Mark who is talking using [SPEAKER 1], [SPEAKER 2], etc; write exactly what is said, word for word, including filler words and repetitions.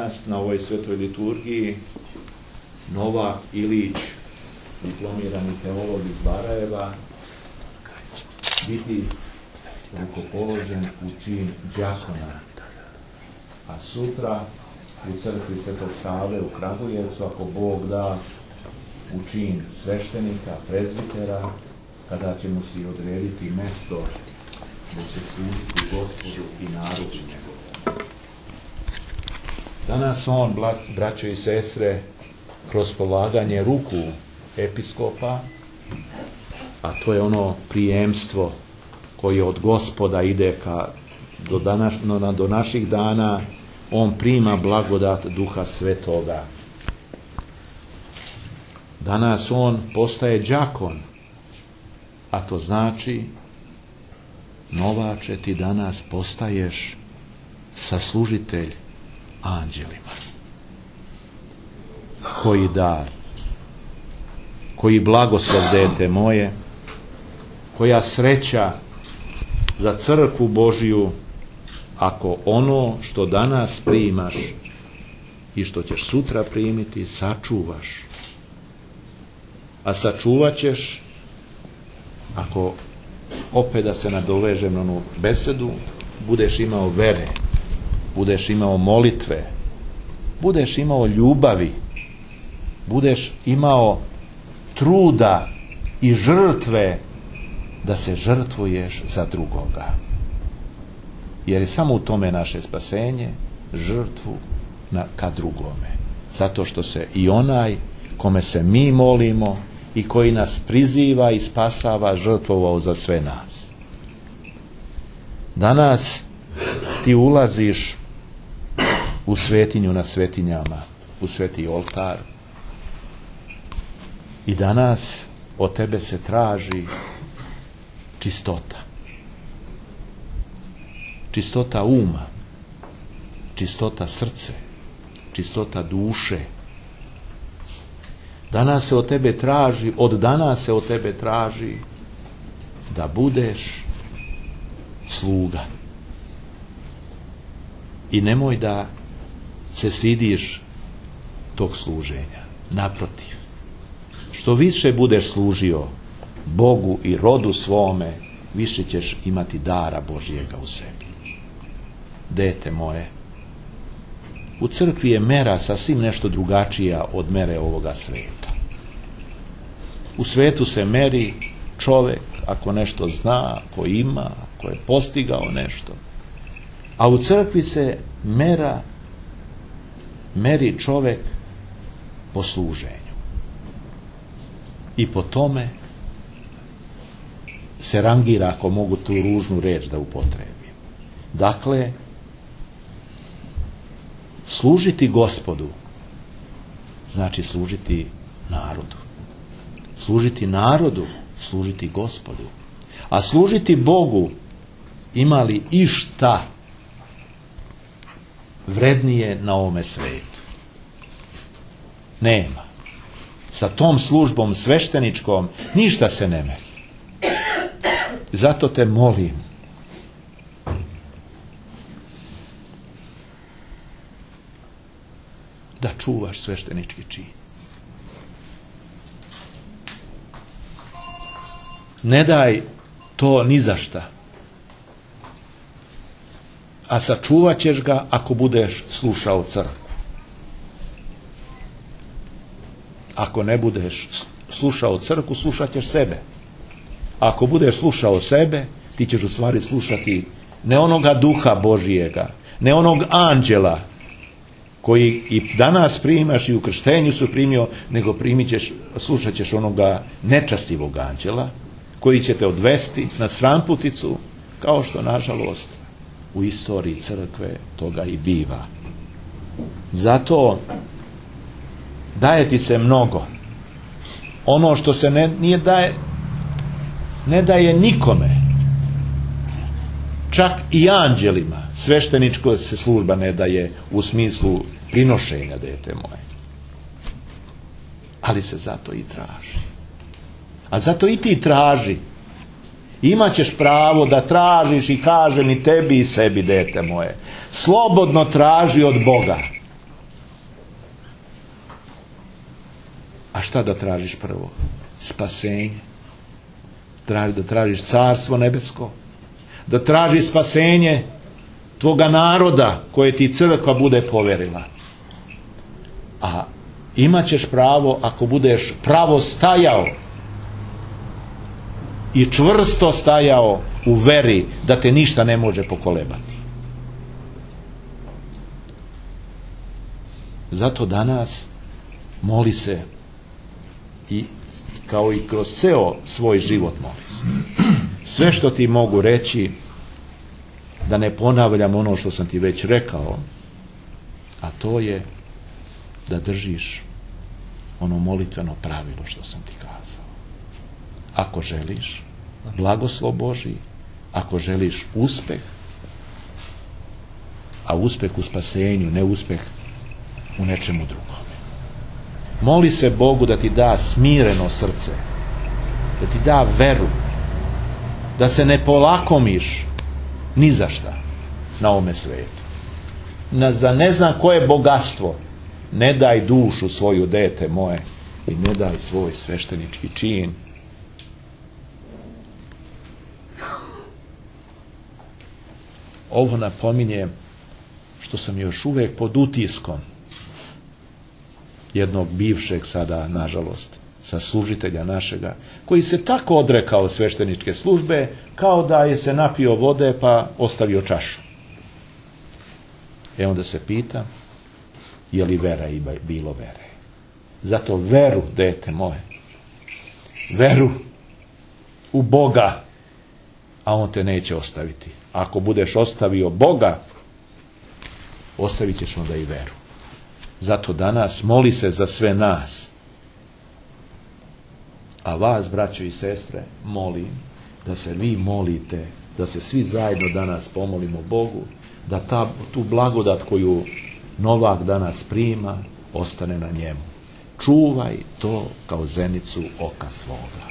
[SPEAKER 1] danas na ovoj svetoj liturgiji Novak Ilić, diplomirani teolog iz Barajeva, biti rukopoložen u čin đakona, a sutra u crkvi Svetog Save u Kragujevcu, ako Bog da, u čin sveštenika, prezbitera, kada će mu si odrediti mesto da će služiti Gospodu i narodu njegovom. Danas on, braćo i sestre, kroz polaganje ruku episkopa, a to je ono prijemstvo koje od Gospoda ide ka, do, danas, no, do naših dana, on prima blagodat Duha Svetoga. Danas on postaje đakon, a to znači, Novače, ti danas postaješ saslužitelj anđelima. Koji dar, koji blagoslov, dete moje, koja sreća za crkvu Božiju, ako ono što danas primaš i što ćeš sutra primiti, sačuvaš. A sačuvat ćeš, ako opet da se nadovežem na onu besedu, budeš imao vere, budeš imao molitve, budeš imao ljubavi, budeš imao truda i žrtve da se žrtvuješ za drugoga. Jer je samo u tome naše spasenje, žrtvu na, ka drugome. Zato što se i onaj kome se mi molimo i koji nas priziva i spasava, žrtvovao za sve nas. Danas ti ulaziš u svetinju na svetinjama, u sveti oltar, i danas od tebe se traži čistota. Čistota uma, čistota srce, čistota duše. Danas se od tebe traži, od danas se od tebe traži da budeš sluga. I nemoj da se stidiš tog služenja. Naprotiv, što više budeš služio Bogu i rodu svome, više ćeš imati dara Božjega u sebi. Dete moje, u crkvi je mera sasvim nešto drugačija od mere ovoga sveta. U svetu se meri čovjek ako nešto zna, ako ima, ako je postigao nešto. A u crkvi se mera meri čovjek po služenju. I po tome se rangira, ako mogu tu ružnu reč da upotrebim. Dakle, služiti Gospodu znači služiti narodu. Služiti narodu, služiti Gospodu. A služiti Bogu, ima li išta vrednije na ovome svetu? Nema. Sa tom službom svešteničkom ništa se ne meri. Zato te molim, da čuvaš sveštenički čin. Ne daj to ni za šta. A sačuvat ćeš ga ako budeš slušao crkvu. Ako ne budeš slušao crkvu, slušat ćeš sebe. Ako budeš slušao sebe, ti ćeš u stvari slušati ne onoga Duha Božijega, ne onog anđela koji i danas primaš i u krštenju su primio, nego primit ćeš, slušat ćeš onoga nečastivog anđela koji će te odvesti na stramputicu, kao što nažalost u istoriji crkve toga i biva. Zato daje ti se mnogo. Ono što se ne, nije daje, ne daje nikome. Čak i anđelima. Svešteničko se služba ne daje u smislu prinošenja, dete moje. Ali se zato i traži. A zato i ti traži. Imaćeš pravo da tražiš i kažem i tebi i sebi, dete moje. Slobodno traži od Boga. A šta da tražiš prvo? Spasenje. Traži, da tražiš carstvo nebesko. Da tražiš spasenje tvoga naroda koje ti crkva bude poverila. A imat ćeš pravo ako budeš pravo stajao i čvrsto stajao u veri da te ništa ne može pokolebati. Zato danas moli se i kao i kroz ceo svoj život moli se. Sve što ti mogu reći, da ne ponavljam ono što sam ti već rekao, a to je da držiš ono molitveno pravilo što sam ti kazao. Ako želiš blagoslov Božji, ako želiš uspeh, a uspeh u spasenju, ne uspeh u nečemu drugome. Moli se Bogu da ti da smireno srce, da ti da veru, da se ne polakomiš ni za šta na ovome svetu. Na, za ne znam koje bogatstvo ne daj dušu svoju, dete moje, i ne daj svoj sveštenički čin. Ovo napominjem što sam još uvijek pod utiskom jednog bivšeg sada, nažalost, saslužitelja našega, koji se tako odrekao svešteničke službe, kao da je se napio vode pa ostavio čašu. E onda se pita, je li vera i bilo vere? Zato veru, dete moje, veru u Boga, a On te neće ostaviti. Ako budeš ostavio Boga, ostavit ćeš onda i veru. Zato danas moli se za sve nas. A vas, braćo i sestre, molim da se vi molite, da se svi zajedno danas pomolimo Bogu, da ta, tu blagodat koju Novak danas prima, ostane na njemu. Čuvaj to kao zenicu oka svoga.